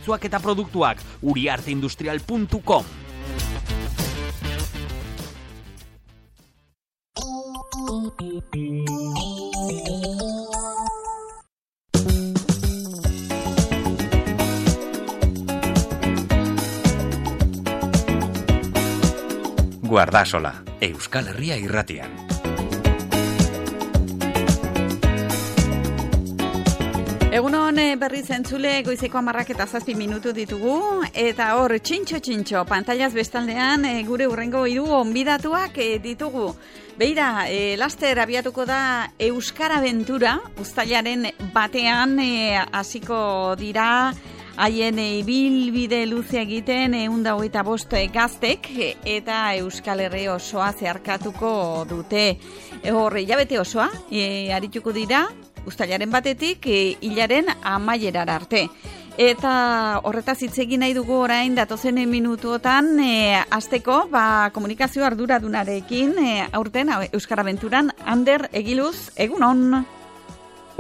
zerbitzuak eta produktuak. uriarteindustrial.com. Guardasola, Euskal Herria irratian. Egunon berriz entzule, goizeko 10:07 ditugu, eta hor txintxo, pantailaz bestaldean gure hurrengo hiru onbidatuak ditugu. Beira, laster abiatuko da Euskara Aventura, uztailaren batean hasiko dira haien ibilbide luze egiten 125 gaztek eta Euskal Herri osoa zeharkatuko dute. Hor, hilabete osoa arituko dira, uztailaren batetik hilaren amaierara arte. Eta horretaz hitz egin nahi dugu orain datozen minutuotan hasteko komunikazio arduradunarekin aurten Euskara Aventuran Ander Egiluz, egunon.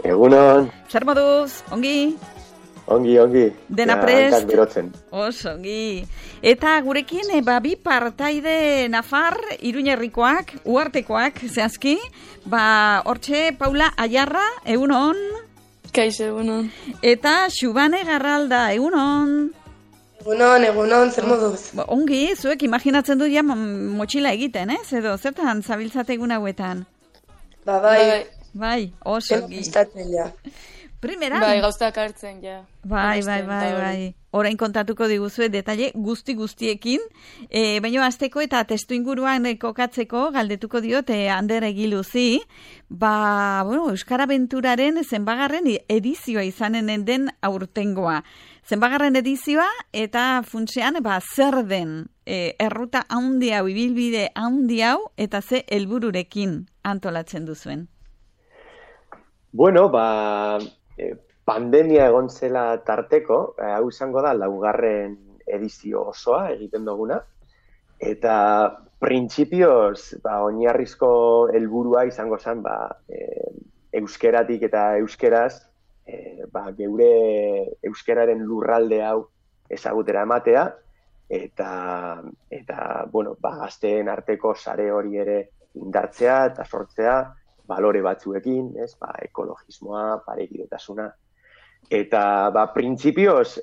Egunon. Zer moduz, ongi? Ongi. Dena prest? Oso, ongi. Eta gurekin, bi partaide Nafar, Iruñerrikoak, Uartekoak, zehazki, hortxe Paula Ayarra, egunon. Kaixo, egunon. Eta Xubane Garralda, egunon. Egunon, zer moduz? Ongi, zuek imaginatzen du motxila egiten, ez? Edo, zertan zabiltzate egun hauetan? Bai. Bai, oso ongi. Primeran? Bai, gauztak hartzen, ja. Bai. Orain kontatuko diguzue detaile guztiekin, baina hasteko eta testu inguruan kokatzeko galdetuko diot Ander Egiluzi, Euskara Aventuraren zenbagarren edizioa izanen den aurtengoa. Zenbagarren edizioa eta funtsean zer den erruta handi hau, ibilbide handi hau eta ze helbururekin antolatzen duzuen? Bueno, pandemia egon zela tarteko, hau izango da 4. edizio osoa egiten duguna, eta printzipioz oinarrizko helburua izango zen euskeratik eta euskeraz geure euskeraren lurralde hau ezagutera ematea, eta gazteen arteko sare hori ere indartzea eta sortzea balore batzuekin, ekologismoa, parekidetasuna. Eta, printzipioz,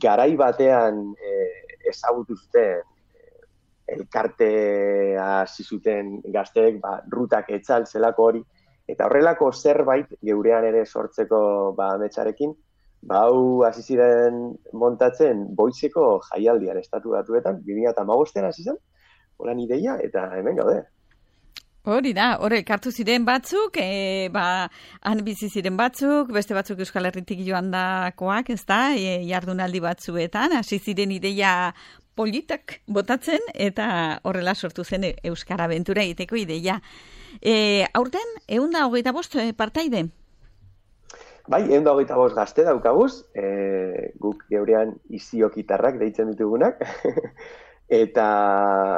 garai batean ezagutu zuten elkartea hasi zuten gazteek, rutak etzal zelako hori, eta horrelako zerbait geurean ere sortzeko ametsarekin, hau hasi ziren montatzen Boizeko jaialdian Estatu Batuetan, 2015 hasi zen, holan ideia, eta hemen gaude. Hori da, elkartu ziren batzuk, han bizi ziren batzuk, beste batzuk Euskal Herritik joan dakoak, ez da, jardunaldi batzuetan, hasi ziren ideia politak botatzen, eta horrela sortu zen Euskara Aventura egiteko ideia. Aurten, 125 partaide? Bai, 125 gazte daukaguz, guk geurean iziokitarrak deitzen ditugunak, Eta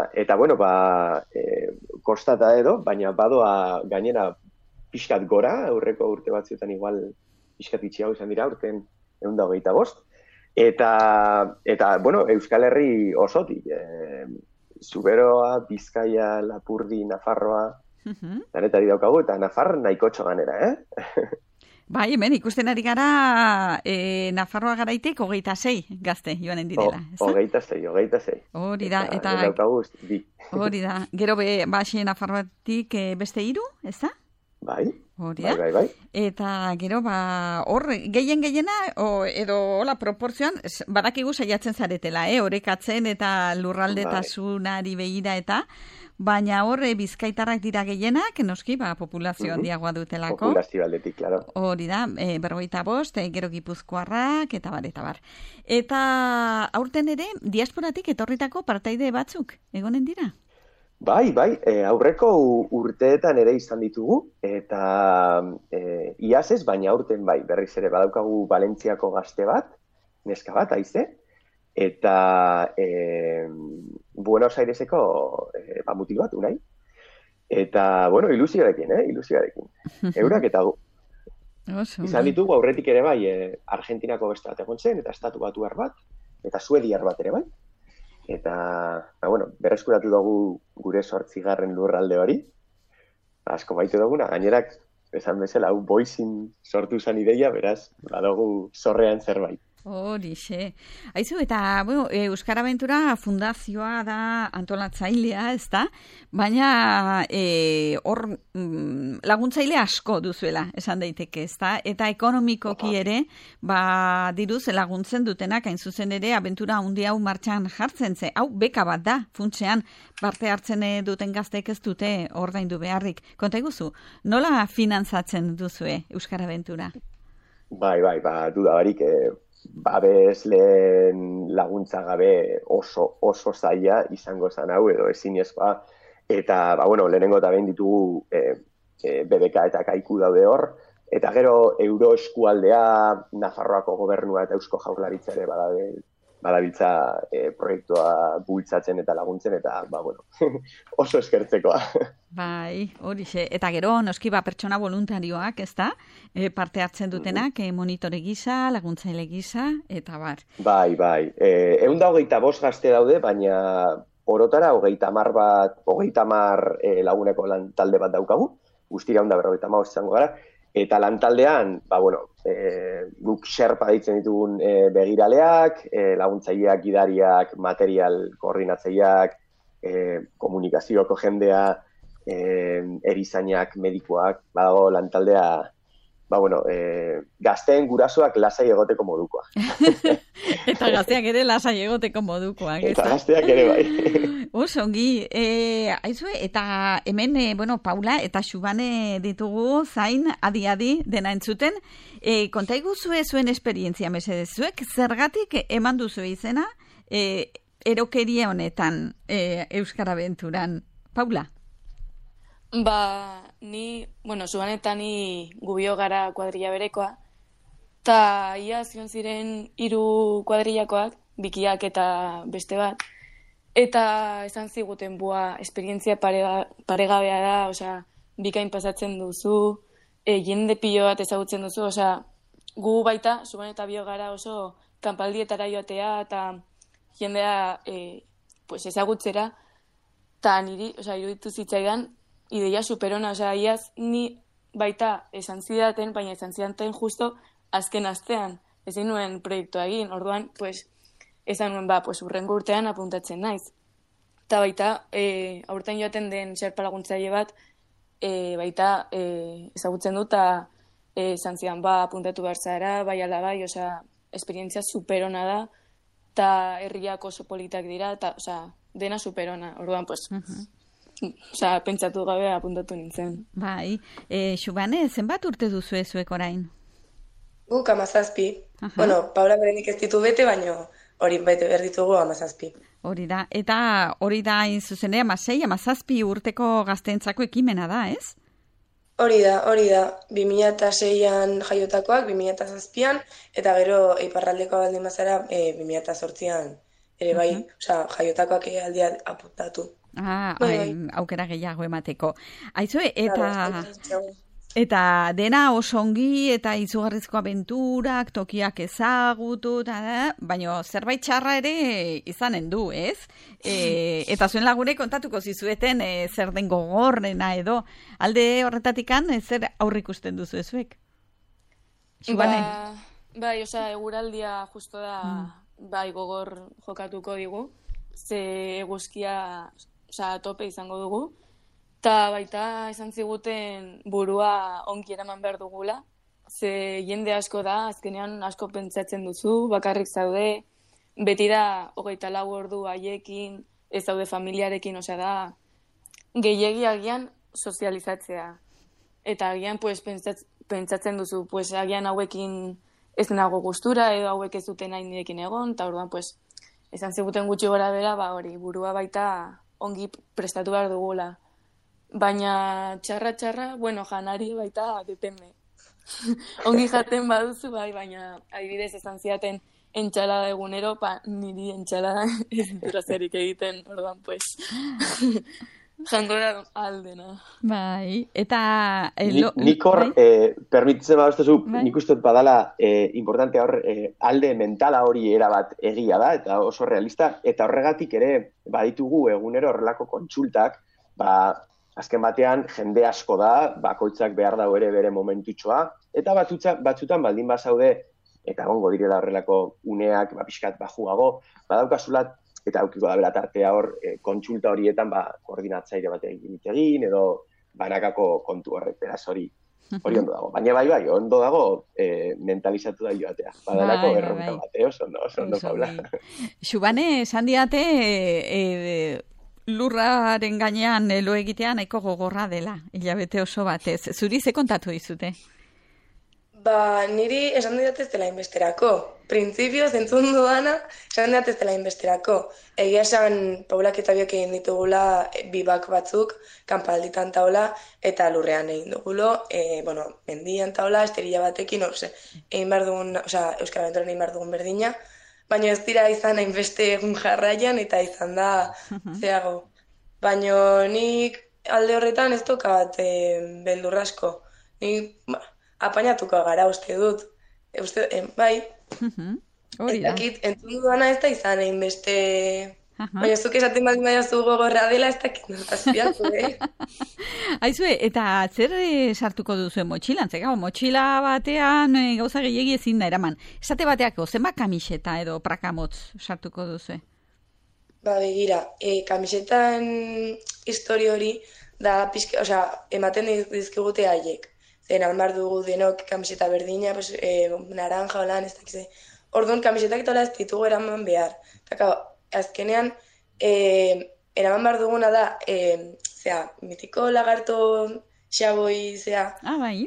kostata edo, baina badoa gainera pixkat gora, aurreko urte batzuetan igual pixkat itxiago izan dira, urten 125. Eta Euskal Herri osotik, Zuberoa, Bizkaia, Lapurdi, Nafarroa, danetari daukagu, eta Nafar nahikotxo ganera, Bai, hemen ikusten ari gara Nafarroa garaitik 26 gazte joanen direla. 26. Hori da, eta hori da. Gero Nafarroatik beste 3, ez da? Bai. Hori da. Bai. Eta gero hor gehiena edo hola proportzioan badakigu saiatzen zaretela, orekatzen eta lurraldetasunari begira eta baina hor bizkaitarrak dira gehienak, noski, populazio handiagoa dutelako. Populazio aldetik, claro. Hori da, 55, gero Gipuzkoarrak, eta bar. Eta aurten ere, diasporatik etorritako partaide batzuk, egonen dira? Bai, aurreko urteetan ere izan ditugu, eta iaz ez, baina aurten bai, berriz ere badaukagu Valentziako gazte bat, neska bat, haize, eta Buenos Aireseko mutil bat, unai. Eta, ilusioarekin, ilusioarekin. Eurak eta gu. Izan ditugu aurretik ere bai, Argentinako beste bat egon zen, eta Estatu Batuar bat, eta Suediar bat ere bai. Eta, berreskuratu dugu gure 8. lurralde hori. Asko baitu duguna, gainerak, esan bezala, hau boizin sortu zen ideia, beraz, badugu zorrean zerbait. Horixe. Aizu, eta, Euskara Abentura fundazioa da antolatzailea, ez da? Baina, hor laguntzaile asko duzuela, esan daiteke, ez da? Eta ekonomikoki ere, diruz laguntzen dutenak, hain zuzen ere, abentura hundi hau martxan jartzen ze. Hau, beka bat da, funtsean, parte hartzen duten gazteek ez dute ordaindu beharrik. Konta iguzu, nola finantzatzen duzue Euskara Abentura? Bai, duda barik, babesleen laguntza gabe oso zaila izango zen hau, edo ezinezkoa, eta, lehenengo eta behin ditugu BBK eta kaiku daude hor, eta gero Euro eskualdea, Nafarroako gobernua eta Eusko Jaurlaritza ere badabiltza proiektua bultzatzen eta laguntzen, eta, oso eskertzekoa. Bai, horixe. Eta gero, noski pertsona voluntarioak, ez da? Parte hartzen dutenak, monitore gisa, laguntzaile gisa, eta bar. Bai. 125 gazte daude, baina orotara 30 laguneko lan talde bat daukagu, guztira 155 izango gara, eta lantaldean, guk xerpa ditzen ditugun begiraleak, laguntzaileak, gidariak, material koordinatzaileak, komunikazioko jendea, erizainak, medikoak, badago lantaldea, gazteen gurasoak lasai egoteko modukoa. Eta gazteak ere lasai egoteko modukoak. Eta gazteak ere bai. Osongi, aizue, eta hemen, Paula eta Xubane ditugu zain, adi dena entzuten. Konta iguzue zuen esperientzia, mesedez, zuek zergatik eman duzu izena erokeria honetan Euskara Abenturan. Paula? Xubane eta ni gubio gara kuadrilla berekoa, eta ia zion ziren 3 kuadrillakoak, bikiak eta beste bat, eta esan ziguten esperientzia paregabea da, bikain pasatzen duzu, jende pilo bat ezagutzen duzu, gu baita, Xubane eta bio gara oso kanpaldietara joatea, eta jendea ezagutzera, eta niri, iruditu zitzaidan, ideia superona, iaz ni baita esan zidaten, baina esan zidaten justo azken astean, ezin nuen proiektua egin, orduan, esan nuen, urrengo urtean apuntatzen naiz. Eta baita, aurten joaten den xerpa laguntzaile bat, baita ezagutzen dut, eta esan zidan, apuntatu behar zara, bai ala bai, esperientzia superona da, eta herriak oso politak dira, eta dena superona, orduan, pentsatu gabe apuntatu nintzen. Bai, Xubane, zenbat urte duzu zuek orain? Guk 17. Paula berenik ez ditu bete, baina hori bete behar ditugu 17. Hori da, eta hori da inzuzene 16-17 urteko gazteentzako ekimena da, ez? Hori da, 2006an jaiotakoak, 2007an, eta gero iparraldeko baldin bazara 2008an ere bai, jaiotakoak aldia apuntatu. Aukera gehiago emateko. Aizue, eta dena oso ongi eta izugarrizko abenturak, tokiak ezagutu, baina zerbait txarra ere izanen du, ez? Eta zuen lagune kontatuko zizueten zer den gogorrena edo. Alde horretatikan, zer aurrikusten duzu ezuek? Bai, eguraldia justo da, gogor jokatuko digu, ze eguzkia tope izango dugu, eta baita esan ziguten burua onki eraman behar dugula, ze jende asko da, azkenean asko pentsatzen duzu, bakarrik zaude, beti da 24 ordu haiekin, ez zaude familiarekin, da gehiegi agian sozializatzea. Eta agian pentsatzen duzu, agian hauekin ez nago gustura, edo hauek ez duten nahi nirekin egon, eta orduan, esan ziguten gutxi gora bera, hori, burua baita ongi prestatu behar dugula. Baina txarra, janari baita depende. Ongi jaten baduzu, baina adibidez esan ziaten entxalada egunero, niri entxalada ez dura zerik egiten, orduan, jangora aldena. Bai, eta... Nik hor, permititzen badostezu, nik uste dut badala importantea hor, alde mentala hori erabat egia da, eta oso realista, eta horregatik ere baditugu egunero horrelako kontsultak, azken batean jende asko da, bakoitzak behar dago ere bere momentutxoa, eta batzutan baldin bazaude, eta gongo direla horrelako uneak, pixkat bajugago, badaukasulat, eta aukiko da bera tartea hor, kontsulta horietan koordinatzaile bat egin, edo banakako kontu horrek, beraz hori ondo dago. Baina bai, ondo dago mentalizatu da joatea. Badanako erronka bat, oso ondo Paula. Xubane, esan diate, lurraren gainean lo egitea nahiko gogorra dela, hilabete oso batez. Zuri ze kontatu dizute? Niri esan diat ez dela inbesterako. Printzipioz entzun dudana, esan diat ez dela inbesterako. Egia esan, Paulak eta biok egin ditugula bibak batzuk, kanpalditan taula, eta lurrean egin dugulo, mendian taula, esterilla batekin, egin behar dugun, Euskal Abenturan egin behar dugun berdina, baina ez dira izan hainbeste egun jarraian, eta izan da zeago. Baina nik alde horretan ez tokat beldurrasko. Nik apainatuko gara uste dut. Bai. Eta kit, entzun dudana ez da izan egin beste... Baina zuk esaten baldin baina zu gogorra dela ez dakit notazpiatu, Aizue, eta zer sartuko duzu motxilan? Zegau, motxila batean gauza gehiagi ezin da eraman. Esate bateako, zenbat kamiseta edo prakamotz sartuko duzu? Begira, kamisetan histori hori da pixka, ematen dizkigute haiek. Zeran bar dugu denok kamiseta berdina, naranja, holan, ez dakize. Orduan, kamisetak eta ez ditugu eraman behar. Eta, azkenean, eraman bar duguna da, mitiko lagarto xaboi,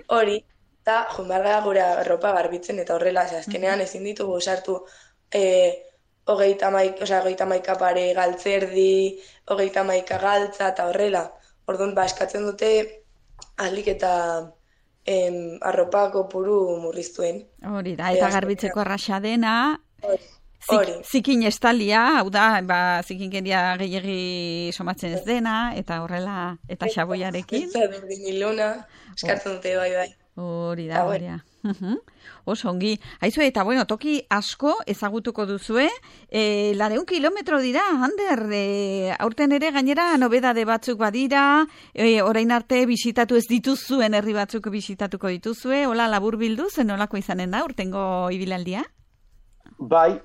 hori, eta junbarga gure ropa garbitzen, eta horrela, azkenean ezin ditugu sartu 30 pare galtzerdi, 30 galtza, eta horrela. Orduan, eskatzen dute, ahalik eta... arropako puru murriztuen. Hori da, eta garbitzeko arraxa dena, hori. Zikin estalia, hau da, zikinkeria gehiagi somatzen ez dena, eta horrela, eta xaboiarekin. Eta berdin iluna, eskatzen dute bai. Hori da, hori da. Oso ongi. Aizue, eta toki asko ezagutuko duzue, 200 kilometro dira, Ander, aurten ere gainera nobedade batzuk badira, orain arte bisitatu ez dituzuen herri batzuk bisitatuko dituzue, hola labur bilduz, nolako izanen da, urtengo ibilaldia? Bai,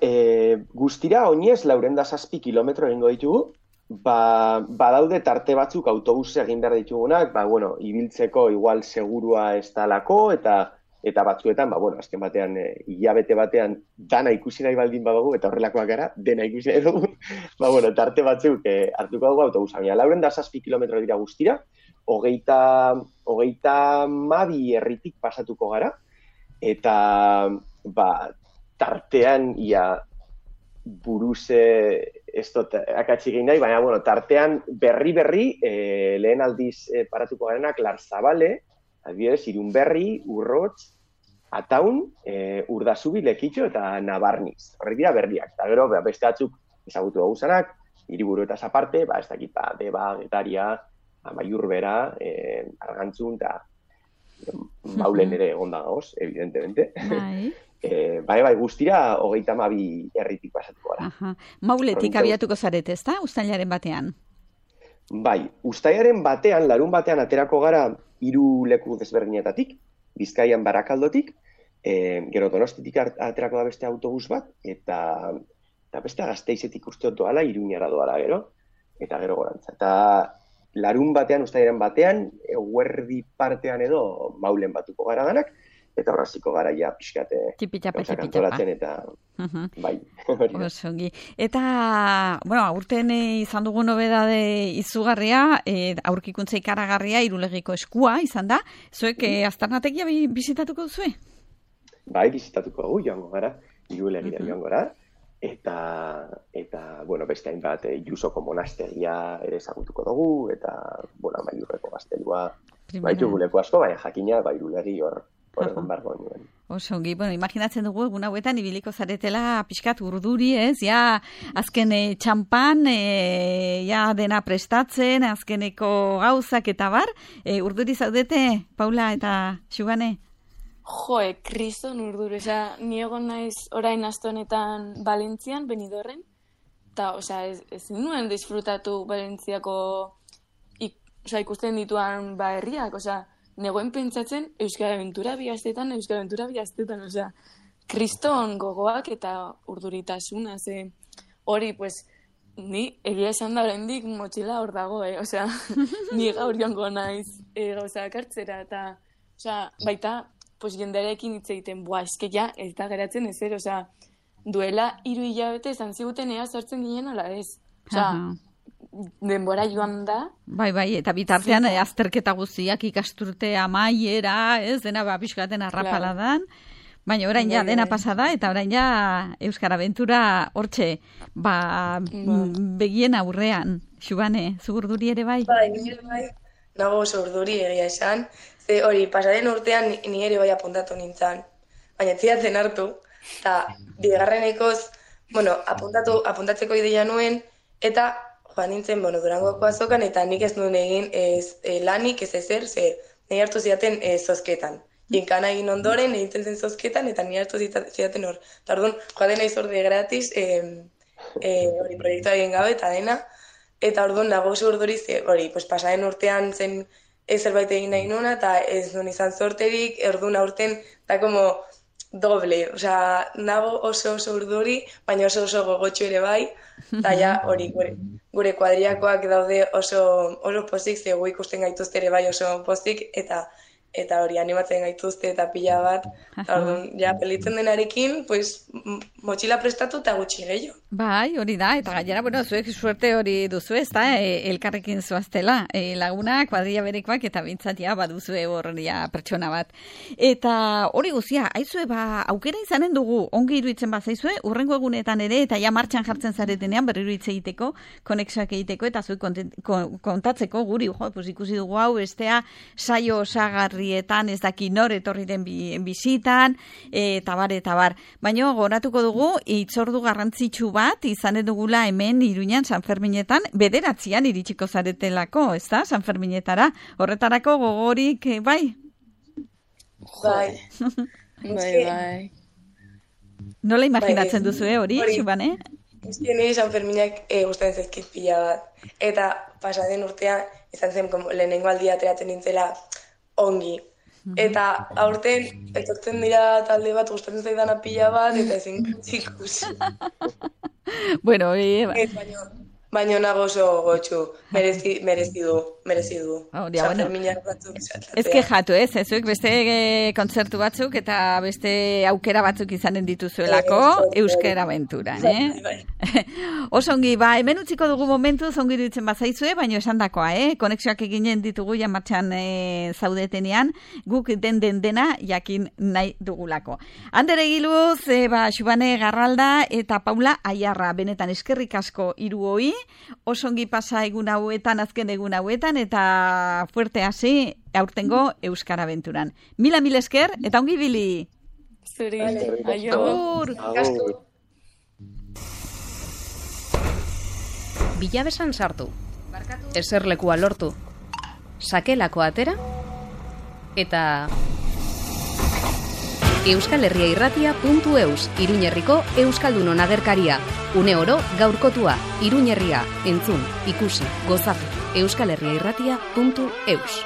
guztira oinez 407 kilometro egingo ditugu, badaude tarte batzuk autobus egin behar ditugunak, ibiltzeko igual segurua ez talako, eta batzuetan, azken batean, hilabete batean, dana ikusi nahi baldin badugu, eta horrelakoak gara, dena ikusi nahi dugu, tarte batzuk hartuko dugu autobusa. 407 kilometro dira guztira, 32 herritik pasatuko gara, eta, tartean, buruze, ez dut akatsi egin nahi, baina, tartean berri, lehen aldiz paratuko garenak, Larzabale, adibidez, Irunberri, Urrotz, Ataun, Urdasubi, Lekitxo eta Nabarniz. Horrek dira berriak. Eta gero, beste batzuk ezagutu dauzanak, hiriburu eta aparte, ez dakit, Deba, Getaria, Amaiurbera, Argantzun, eta Maulen ere egonda gauz, evidentemente. Bai, guztira 32 herritik pasatuko gara. Mauletik abiatuko zarete, ez da? Uztailaren batean? Bai, uztailaren batean, larun batean aterako gara 3 leku desberdinetatik, Bizkaian Barakaldotik, gero Donostitik aterako da beste autobus bat, eta beste Gasteizetik uste doala, Iruñara doala gero, eta gero gorantza. Eta larun batean, uztailaren batean, eguerdi partean edo Maulen batuko gara danak, eta horraziko gara ja pixkate gauzak antolatzen eta bai. Osongi. Eta, aurten izan dugu nobedade izugarria, aurkikuntza ikaragarria, Irulegiko eskua izan da. Zuek aztarnategia bizitatuko duzue? Bai, bizitatuko dugu joango gara, Irulegira joango gara. Eta beste hainbat, Jusoko monastegia ere ezagutuko dugu, eta, Amaiurreko gaztelua, baitu leku asko, baina jakina, Irulegi hor Horren bargo nuen. Osongi, bueno, imaginatzen dugu egun hauetan ibiliko zaretela pixkat urduri, ez? Ja, azken txampan, ja dena prestatzen, azkeneko gauzak eta bar. Urduri zaudete, Paula eta Xugane? Kriston urduri. Ni egon naiz orain aste honetan Valentzian, Benidorren, eta, ez nuen disfrutatu Valentziako ikusten dituan herriak, negoen pentsatzen Euskal Aventura bihaztetan, kriston gogoak eta urduritasuna, hori, ni egia esan da oraindik motxila hor dago, ni gaur joango naiz gauzak hartzera, eta, baita, jendearekin hitz egiten, eske ja, ez da geratzen ezer, duela 3 hilabete esan ziguten ea sartzen ginen ala ez, denbora joan da. Bai, eta bitartean azterketa guztiak ikasturte amaiera, ez, dena pixkaten arrapaladan, baina orain ja dena pasada, eta orain ja Euskal Aventura hortxe, begien aurrean, Xubane, zu urduri ere bai? Bai, nago oso urduri egia esan, ze hori, pasaren urtean ni ere bai apuntatu nintzen, baina etziatzen hartu, eta bigarrenekoz, apuntatzeko ideia nuen, eta joan nintzen, Durangoko azokan, eta nik ez nuen egin lanik ez ezer, ze nahi hartu zidaten zozketan. Ginkana egin ondoren, egiten zen zozketan, eta nahi hartu zidaten hor. Eta orduan, joaten nahi zorde gratis, hori proiektua egin gabe, eta dena, eta orduan nago oso urduri, hori, pasaren urtean zen zerbait egin nahi nuna, eta ez nuen izan zorterik, orduan aurten, da como doble, nago oso urduri, baina oso gogotxu ere bai, eta ja, hori, gure kuadriakoak daude oso pozik, ze gu ikusten gaituzte ere bai oso pozik, eta hori animatzen gaituzte eta pila bat, ja, pelitzen denarekin, motxila prestatu eta gutxi gehiago. Bai, hori da, eta gainera, zuek suerte hori duzu ez da, elkarrekin zoaztela, laguna, kuadria berekoak, eta bintzatia baduzue horria pertsona bat. Eta hori guzia, aizue, aukera izanen dugu, ongi iruditzen bazaizue, urrengo egunetan ere, eta ja martxan jartzen zaretenean, berriro hitz egiteko, konexioak egiteko, eta zuek kontatzeko guri, ikusi dugu hau, bestea, saio osagarrietan, ez daki nor etorri den bizitan, eta bar. Baina goratuko dugu, hitzordu garrantzitsu bat, izanen dugula hemen Iruñan San Ferminetan, 9 iritsiko zaretelako, ez da, San Ferminetara. Horretarako gogorik, bai? Bai. Nola imaginatzen duzu, hori, Xubane? Niri San Ferminak gustatzen zaizkit pila bat. Eta pasaden urtean, izan zen lehenengo aldia ateratzen nintzela ongi. Eta aurten, etortzen dira talde bat gustatzen zaidana pila bat, eta ezin ikusi. Bueno, baina nago oso gotxu, merezi du. San Ferminak batzuk esatzea. Ez kejatu, ezuek beste kontzertu batzuk eta beste aukera batzuk izanen dituzuelako Euskal Aventuran, Osongi, hemen utziko dugu momentu, zongi dutzen bazaizue, baina esan dakoa, konexioak eginen ditugu ja martxan zaudetenean, guk dena jakin nahi dugulako. Ander Egiluz, Xubane Garralda eta Paula Aiarra, benetan eskerrik asko hiruoi, osongi pasa azken egun hauetan, eta fuerte hasi aurtengo Euskal Aventuran. Mila esker, eta ongi bili! Zuri, aio! Bilabesan sartu, eserlekua lortu, sakelako atera, eta euskalherriairratia.eus, Iruñerriko Euskaldunon agerkaria. Une oro gaurkotua, Iruñerria, entzun, ikusi, gozatu. euskalherriairratia.eus.